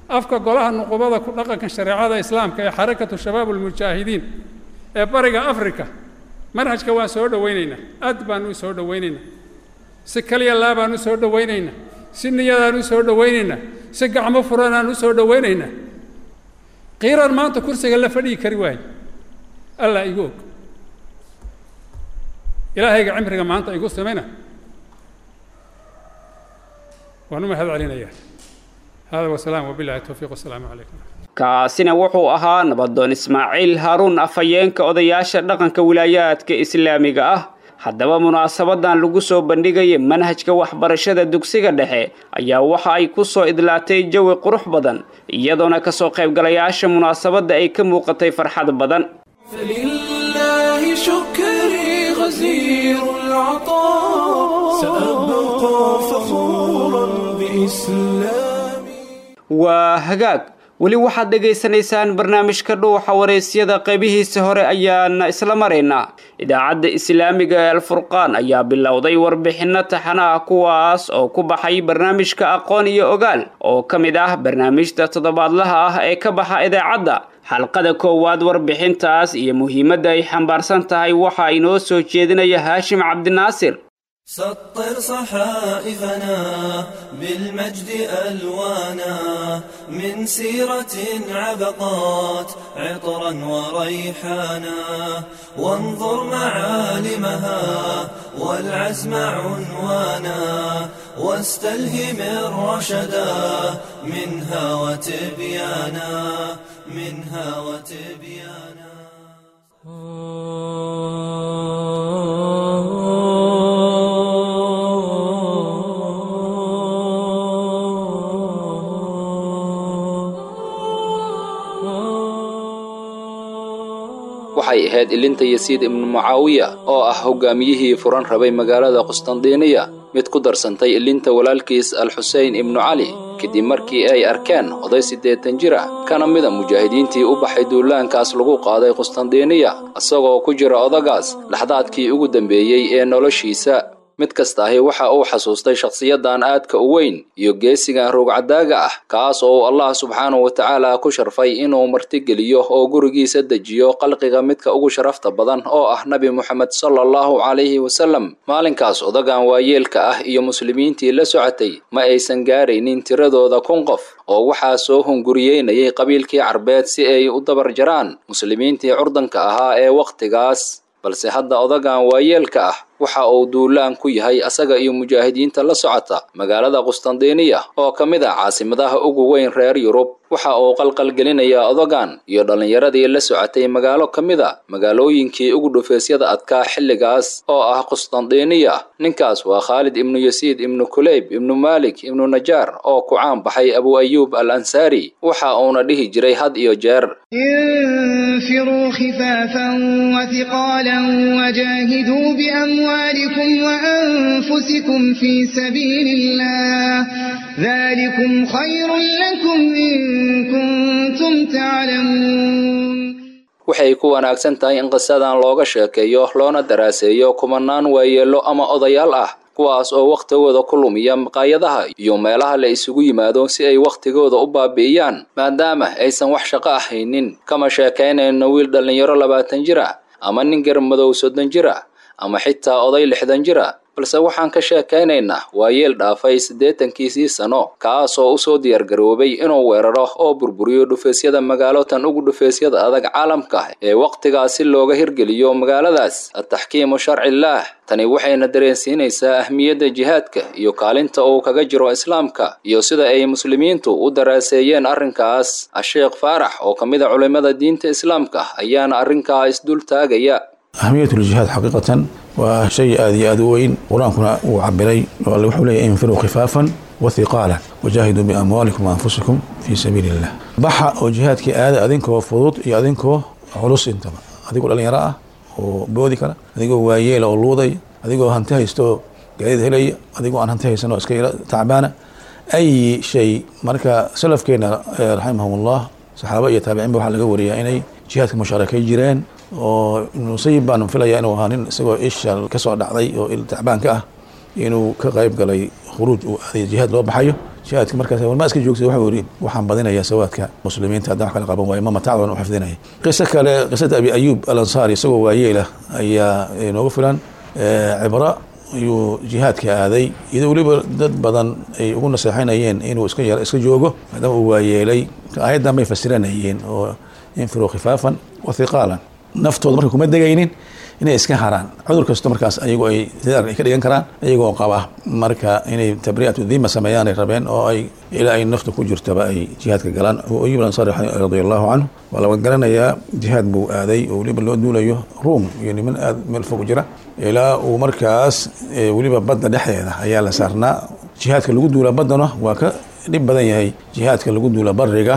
afka golaha nuqubada ku dhaqanka shareecada islaamka ee xarakatu shabaabulmujaahidiin ee bariga Afrika, manhajka waan soo dhowaynaynaa, aad baan u soo dhowaynaynaa, si kaliya laa baan u soo dhowaynaynaa, si niyadaan u soo dhowaynaynaa, si gacmo furanaan u soo dhowaynaynaa. Qiiran maanta kursiga la fadhiyi kari waaye, Allah igu og. Ilaahayga cimriga maanta igu samayna waan u mahad celinayaa. Hada wasalaam wabillahi tawfiiq, wasalaamu calaykum. Kaasina wuxuu ahaa nabadoon Ismaaciil Haaruun, afhayeenka odayaasha dhaqanka wilaayaadka islaamiga ah. Haddaba munaasabadan lagu soo bandhigayay manhajka waxbarashada dugsiga dhexe ayaa waxa ay ku soo idlaatay jawi qurux badan, iyadoona ka soo qaybgalayaasha munaasabadda ay ka muuqatay farxad badan. فلله شكري غزير العطاء، سأبقى فخورا بإسلامي. Waa hagaag. Weli waxaad dhegaysanaysaan barnaamijka Dhuuxa Waraysyada, qaybihiisa hore ayaana isla maraynaa. Idaacadda Islaamiga ee Alfurqaan ayaa bilowday warbixinno taxana ah, kuwaas oo ku baxay barnaamijka Aqoon iyo Ogaal oo ka mid ah barnaamijta toddobaadlaha ah ee ka baxa idaacadda. Xalqada koowaad warbixintaas iyo muhiimadda ay xambaarsan tahay waxaa inoo soo jeedinaya Haashim Cabdinaasir. سطر صحائفنا بالمجد ألوانا من سيرة عبقات عطرا وريحانا وانظر معالمها والعزم عنوانا واستلهم الرشدا منها وتبيانا منها وتبيانا. Waxay ahayd ilinta Yasiid ibnu Mucaawiya oo ah hoggaamiyihii furan rabay magaalada Qustandiiniya mid ku darsantay ilinta walaalkiis Al-Xuseyn ibnu Cali kadib markii ay arkeen oday siddeetan jir ah kana mida mujaahidiintii u baxay duulaankaas lagu qaaday Qustandiiniya, isagoo ku jira odagaas laxdaadkii ugu dambeeyey ee noloshiisa. Mid kasta ahi waxa uu xasuustay shakhsiyadan aadka u weyn iyo geesigan ruugcadaaga ah, kaas oo uu Allah subxaanahu wa tacaala ku sharfay inuu martigeliyo oo gurigiisa dejiyo qalqiga midka ugu sharafta badan oo ah Nabi Muxamed sallallahu calayhi wasallam. Maalinkaas odagan waayeelka ah iyo muslimiintii la socotay ma aysan gaaraynin tiradooda kun qof, oo waxaa soo hunguriyeynayay qabiilkii Carbeed si ay u dabar jaraan muslimiintii curdanka ahaa ee wakhtigaas. Balse hadda odagan waayeelka ah waxa uu duulaan ku yahay asaga iyo mujaahidiinta la socota magaalada Qustandiiniya oo ka mid ah caasimadaha ugu weyn reer Yurub. Waxa uu qalqalgelinayaa odagan iyo dhallinyaradii la socotay magaalo ka mid a magaalooyinkii ugu dhufeesyada adkaa xilligaas oo ah Qustandiiniya. Ninkaas waa Khaalid ibnu Yasiid ibnu Kuleyb ibnu Maalik ibnu Najaar oo ku caan baxay Abu Ayuub al Ansaari. Waxa uuna dhihi jiray had iyo jeer: انفروا خفافا وثقالا وجاهدوا بأموالكم وأنفسكم في سبيل الله ذلكم خير لكم إن كنتم تعلمون. Waxay ku wanaagsan tahay in qisadan looga sheekeeyo loona daraaseeyo kumanaan waayeello ama odayaal ah, kuwaas oo wakhtigooda ku lumiya maqaayadaha iyo meelaha la isugu yimaado si ay wakhtigooda u baabi'iyaan, maadaama aysan wax shaqo ahaynin. Kama sheekaynayno wiil dhallinyaro labaatan jir ah ama nin garmadow soddon jir ah ama xitaa oday lixdan jir ah, balse waxaan ka sheekaynaynaa waayeel dhaafay siddeetankiisii sano, kaasoo usoo diyaargaroobay inuu weeraro oo burburiyo dhufeesyada magaalo tan ugu dhufeesyada adag caalamka ee wakhtigaas si looga hirgeliyo magaaladaas ataxkiimu sharcillaah. Tani waxayna dareensiinaysaa ahmiyadda jihaadka iyo kaalinta uu kaga jiro islaamka iyo sida ay muslimiintu u daraaseeyeen arrinkaas. Asheekh Faarax oo ka mid a culimmada diinta islaamka ayaana arrinkaa isdul taagaya. أهمية الجهاد حقيقة وشيء آدي آدوين قرآنكنا وعبري وحولي انفروا خفافا وثقالا وجاهدوا بأموالكم وأنفسكم في سبيل الله. بحا وجهادك آذا أذنكو فضوط يا أذنكو علوس انتما أذنكو الألين رأى وبودي كلا أذنكو واييل أو لوضي أذنكو هنتهي استو قاعد هلي أذنكو أن هنتهي سنو اسكيرا تعبانة أي شيء. مركا سلف كينا رحمهم الله صحابة يتابعين بوحا لقوريا إني jihaadka mushaarakeey jireen oo Ibnu Musayib baan filayaa inuu ahaa nin isagoo isha ka soo dhacday oo il tacbaan ka ah inuu ka qayb galay khuruuj uu aaday jihaad loo baxayo. Jihaadka markaas warma iska joogtay, wuxuu yidhi waxaan badinayaa sawaadka muslimiinta haddaan wax kala qaban waayo ma matacdan u xifdinaya. Qiso kale, qisada Abi Ayuub al Ansaari isagoo waayeelah ayaa inooga filan cibro. Ayuu jihaadka aaday iyadoo weliba dad badan ay ugu naseexanayeen inuu iska yar iska joogo maadaama uu waayeelay. Aayaddan bay fasiranayeen oo infiruu khifaafan wa thiqaalan, naftooda marka kuma degaynin inay iska haraan cudur kasto markaas ayagu ay sidaar ay ka dhigan karaan iyagoo qaba, marka inay tabri'atu dhima sameeyaan ay rabeen oo ay ilaa ay naftu ku jirtaba ay jihaadka galaan. Abu Ayub al-Ansari radiyallahu canhu waa laga garanayaa jihaad buu aaday oo weliba loo duulayo Ruum iyo niman aad meel fog jira, ilaa uu markaas weliba badda dhexdeeda ayaa la saarnaa. Jihaadka lagu duula baddana waa ka dhib badan yahay jihaadka lagu duula bariga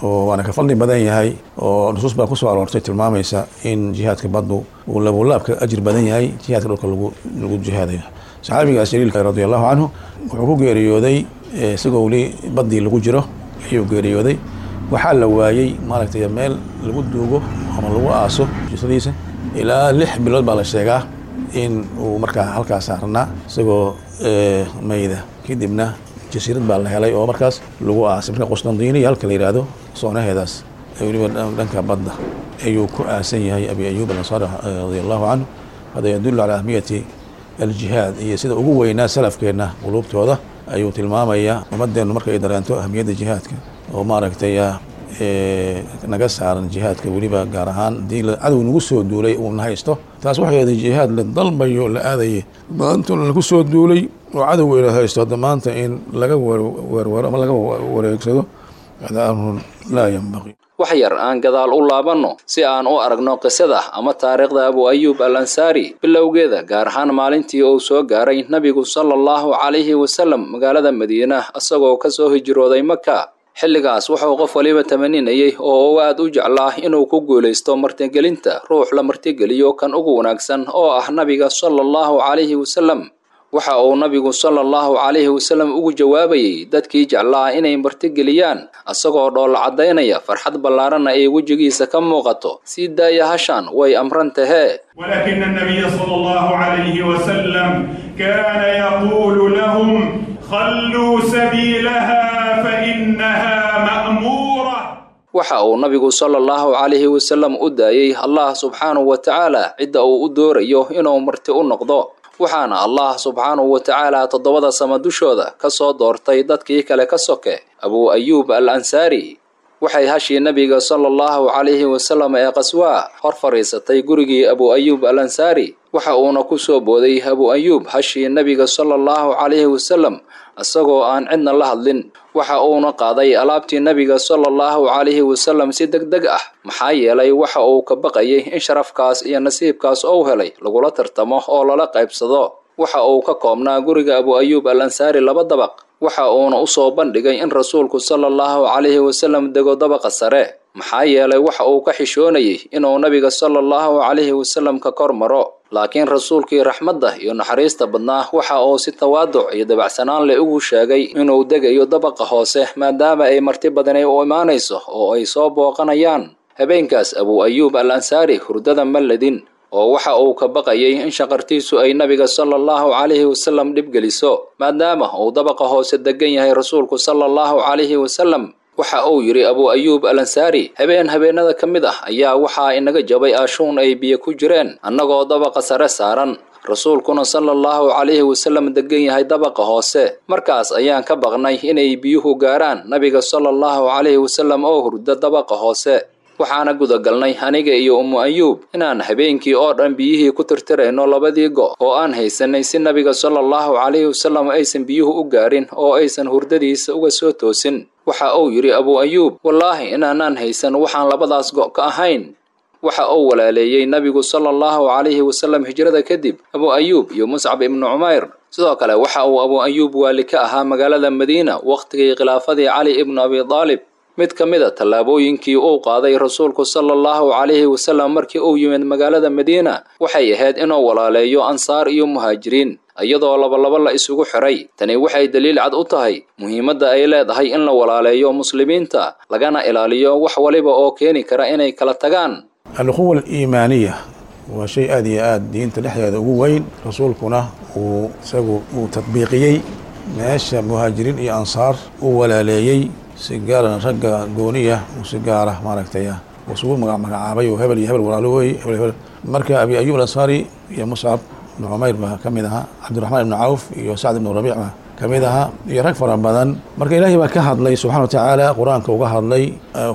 oo waana ka fadli badan yahay, oo nusuus baa kusoo aroortay tilmaamaysa in jihaadka baddu uu labulaabka ajir badan yahay jihaadka dhulka lagu lagu jihaadayo. Saxaabigaas jaliilka radiallahu canhu wuxuu ku geeriyooday isagoo weli baddii lagu jiro ayuu geeriyooday. Waxaa la waayey maaragtay meel lagu duugo ama lagu aaso jisadiisa. Ilaa lix bilood baa la sheegaa in uu markaa halkaas saarnaa isagoo mayda. Kadibna jasiirad baa la helay oo markaas lagu aasay. Marka Qustantiniya halka la yidhaahdo soonaheedaas weliba dhanka badda ayuu ku aasan yahay Abi Ayuub Alansaari radia allahu canhu. Hada yadullu calaa ahmiyati aljihaad iyo sida ugu weynaa salafkeenna quluubtooda ayuu tilmaamayaa. Ummadeennu marka ay dareento ahmiyadda jihaadka oo maaragtay naga saaran jihaadka, weliba gaar ahaan haddii cadow nagu soo duulay uuna haysto, taas waxay ahayd jihaad la dalbayo la aadayay. Maanta lagu soo duulay oo cadowga ila haysto, hadda maanta in laga werwero ama laga wareegsado hada amrun laa yanbaqi. Wax yar aan gadaal u laabanno si aan u aragno qisada ama taariikhda Abu Ayuub al Ansaari bilowgeeda, gaar ahaan maalintii uu soo gaaray nabigu sala allahu calayhi wasalam magaalada Madiina isagoo ka soo hijrooday Maka. Xilligaas wuxuu qof waliba tamaninayay oo uu aad u jeclaa inuu ku guulaysto martigelinta ruux la martigeliyo kan ugu wanaagsan oo ah nabiga sala allahu calayhi wasalam. Waxa uu nabigu sala allahu calayhi wasalam ugu jawaabayay dadkii jeclaa inay martigeliyaan isagoo dhoolla caddaynaya farxad ballaaranna ay wejigiisa ka muuqato: sii daaya hashaan, way amran tahee. ولكن النبي صلى الله عليه وسلم كان يقول لهم: خلوا سبيلها فإنها مأمورة. Waxa uu nabigu sala allahu calayhi wasalam u daayey Allah subxaanahu wa tacaala cidda uu u doorayo inuu marti u noqdo, waxaana Allah subxaanahu wa tacaala toddobada sama dushooda ka soo doortay dadkii kale ka soke Abu Ayuub al Ansaari. Waxay hashii nabiga sala allahu calayhi wasalam ee Qaswaa hor fadhiisatay gurigii Abu Ayuub al Ansaari. Waxa uuna ku soo booday Abu Ayuub hashii nabiga sala allahu calayhi wasalam isagoo aan cidna la hadlin. Waxa uuna qaaday alaabtii nabiga sala allahu calayhi wasalam si deg deg ah, maxaa yeelay waxa uu ka baqayay in sharafkaas iyo nasiibkaas uu helay lagula tartamo oo lala qaybsado. Waxa uu ka koobnaa guriga Abu Ayuub al Ansaari laba dabaq, waxa uuna u soo bandhigay in rasuulku sala allahu calayhi wasalam dego dabaqa sare, maxaa yeelay waxa uu ka xishoonayay inuu nabiga sala allahu calayhi wasalam ka kor maro. Laakiin rasuulkii raxmadda iyo naxariista badnaa waxa uu si tawaaduc iyo dabacsanaan leh ugu sheegay inuu degayo dabaqa hoose, maadaama ay marti badani u imaanayso oo ay soo booqanayaan. Habeenkaas Abu Ayuub al Ansaari hurdada ma ledin, oo waxa uu ka baqayay in shaqartiisu ay nabiga sala allahu calayhi wasalam dhib geliso, maadaama uu dabaqa hoose degan yahay rasuulku sala allahu calayhi wasalam. Waxa uu yidhi Abu Ayuub al Ansaari: habeen habeenada ka mid ah ayaa waxaa inaga jabay aashuun ay biyo ku jireen annagoo dabaqa sare saaran, rasuulkuna sala allahu calayhi wasalam degan yahay dabaqa hoose. Markaas ayaan ka baqnay inay biyuhu gaaraan nabiga sala allahu calayhi wasalam oo hurda dabaqa hoose. Waxaana gudagalnay aniga iyo Ummu Ayuub inaan habeenkii oo dhan biyihii ku tirtirayno labadii go' oo aan haysanay, si nabiga sala allahu calayhi wasalam aysan biyuhu u gaarin oo aysan hurdadiisa uga soo toosin. Waxa uu yidhi Abu Ayuub: wallaahi inaanaan haysan waxaan labadaas go' ka ahayn. Waxa uu walaaleeyey nabigu sala allahu calayhi wasalam hijrada kadib Abu Ayuub iyo Muscab ibnu Cumayr. Sidoo kale waxa uu Abu Ayuub waali ka ahaa magaalada Madiina wakhtigii khilaafadii Cali ibnu Abi Daalib. Mid ka mid a tallaabooyinkii uu qaaday rasuulku sala allahu calayhi wasalam markii uu yimid magaalada Madiina waxay ahayd inuu walaaleeyo ansaar iyo muhaajiriin, iyadoo labalaba la isugu xiray. Tani waxay daliil cad u tahay muhiimadda ay leedahay in la walaaleeyo muslimiinta, lagana ilaaliyo wax waliba oo keeni kara inay kala tagaan. Alquwa aliimaaniya waa shay aad iyo aad diinta dhexdeeda ugu weyn, rasuulkuna uu isagu uu tadbiiqiyey meesha muhaajiriin iyo ansaar uu walaaleeyey, si gaarana ragga gooniya uu si gaara maaragtay uu isugu magacaabay oo hebel iyo hebel walaalo wey, hebel hebel. Marka Abi Ayuub Alansaari iyo Muscab ibnu Cumayr baa ka mid ahaa, Cabdiraxmaan ibnu Cawf iyo Sacd ibnu Rabiic baa ka mid ahaa, iyo rag fara badan. Marka Ilaahay baa ka hadlay subxana wa tacaala, qur-aanka uga hadlay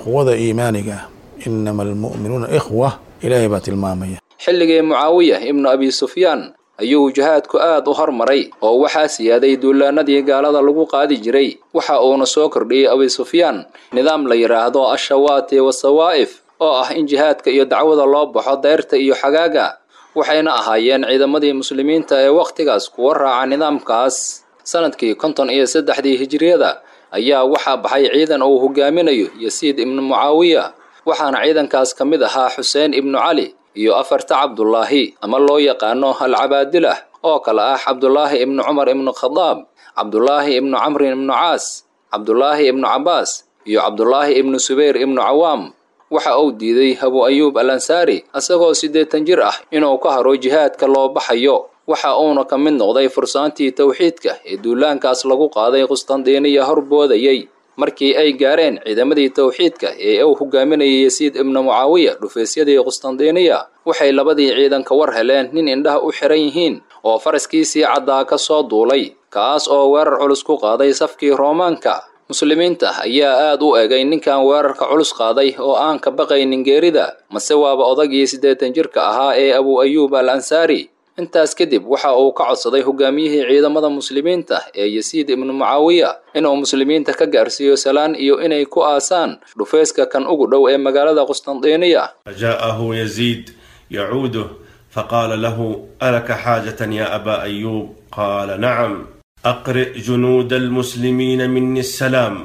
quwada iimaaniga, inama almu'minuuna ikhwa, Ilaahay baa tilmaamaya. Xilligii Mucaawiya ibnu Abi Sufyaan ayuu jihaadku aad u hormaray oo waxaa siyaaday duulaanadii gaalada lagu qaadi jiray. Waxa uuna soo kordhiyey Abi Sufyaan nidaam la yidhaahdo ashawaati wasawaa'if, oo ah in jihaadka iyo dacwada loo baxo dayrta iyo xagaaga. Waxayna ahaayeen ciidamadii muslimiinta ee wakhtigaas kuwa raaca nidaamkaas. Sanadkii konton iyo saddexdii hijriyada ayaa waxaa baxay ciidan uu hogaaminayo Yasiid ibnu Mucaawiya, waxaana ciidankaas ka mid ahaa Xuseen ibnu Cali iyo afarta Cabdullaahi ama loo yaqaano alcabaadilah, oo kale ah Cabdulaahi ibnu Cumar ibnu Khadaab, Cabdulaahi ibnu Camrin ibnu Caas, Cabdulaahi ibnu Cabbaas iyo Cabdullaahi ibnu Subayr ibnu Cawaam. Waxa uu diiday Abu Ayuub al-Ansaari asagoo siddeetan jir ah inuu ka haro jihaadka loo baxayo. Waxa uuna ka mid noqday fursaantii tawxiidka ee duulaankaas lagu qaaday Qustandiiniya horboodayay. Markii ay gaareen ciidamadii tawxiidka ee uu hogaaminayay Yasiid ibnu Mucaawiya dhufaysyadii Qustandiiniya, waxay labadii ciidan ka war heleen nin indhaha u xiran yihiin oo faraskiisii caddaa ka soo duulay, kaas oo weerar culus ku qaaday safkii Roomaanka. Muslimiinta ayaa aad u egay ninkan weerarka culus qaaday oo aan ka baqaynin geerida, mase waaba odagii siddeetan jirka ahaa ee Abu Ayuub al-Ansaari. Intaas kadib waxa uu ka codsaday hogaamiyihii ciidamada muslimiinta ee Yasiid ibnu Mucaawiya inuu muslimiinta ka gaarsiiyo salaan iyo inay ku aasaan dhufayska kan ugu dhow ee magaalada Qustandiiniya. فجاءه يزيد يعوده فقال له: ألك حاجة يا أبا أيوب؟ قال: نعم، أقرئ جنود المسلمين مني السلام،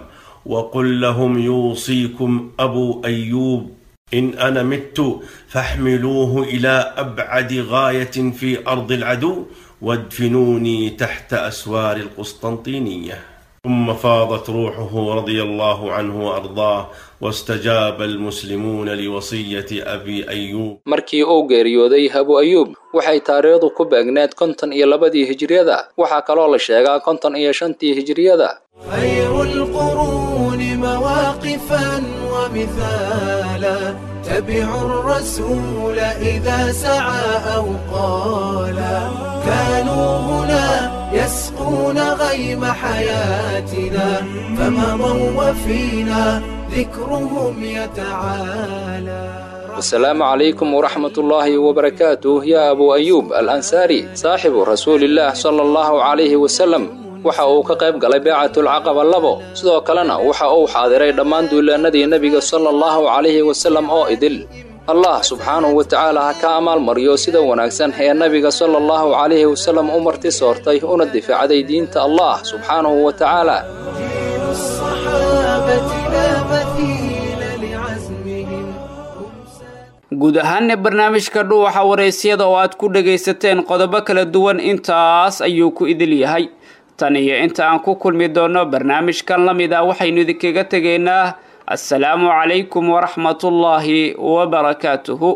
وقل لهم يوصيكم أبو أيوب إن أنا مت فاحملوه إلى أبعد غاية في أرض العدو وادفنوني تحت أسوار القسطنطينية. ثم فاضت روحه رضي الله عنه وأرضاه، واستجاب المسلمون لوصية أبي أيوب. Markii uu geeriyooday Abu Ayuub waxay taariikhdu ku beegneed konton iyo labadii hijriyada, waxaa kaloo la sheegaa konton iyo shantii hijriyada. خير القرون مواقفا ومثالا، تبعوا الرسول إذا سعى أو قالا، كانوا هنا يسقون غيم حياتنا، فمضوا وفينا ذكرهم يتعالى. السلام عليكم ورحمة الله وبركاته يا أبو أيوب الأنصاري صاحب رسول الله صلى الله عليه وسلم. Waxa uu ka qayb galay beecatul caqaba labo, sidoo kalena waxa uu xaadiray dhammaan duulaanadii nabiga sallallahu calayhi wasallam oo idil. Allah subxaanahu wa tacaala ha ka amaal mariyo sida wanaagsan ee nabiga sallallahu calayhi wasallam u marti soortay una difaacday diinta Allah subxaanahu wa tacaala. Guud ahaanna barnaamijka dhuuxa waraysyada oo aad ku dhagaysateen qodobo kala duwan intaas ayuu ku idil yahay. Tan iyo inta aan ku kulmi doono barnaamijkan la mid ah, waxaynu idinkaga tegaynaa assalaamu calaykum waraxmatullaahi wabarakaatuhu.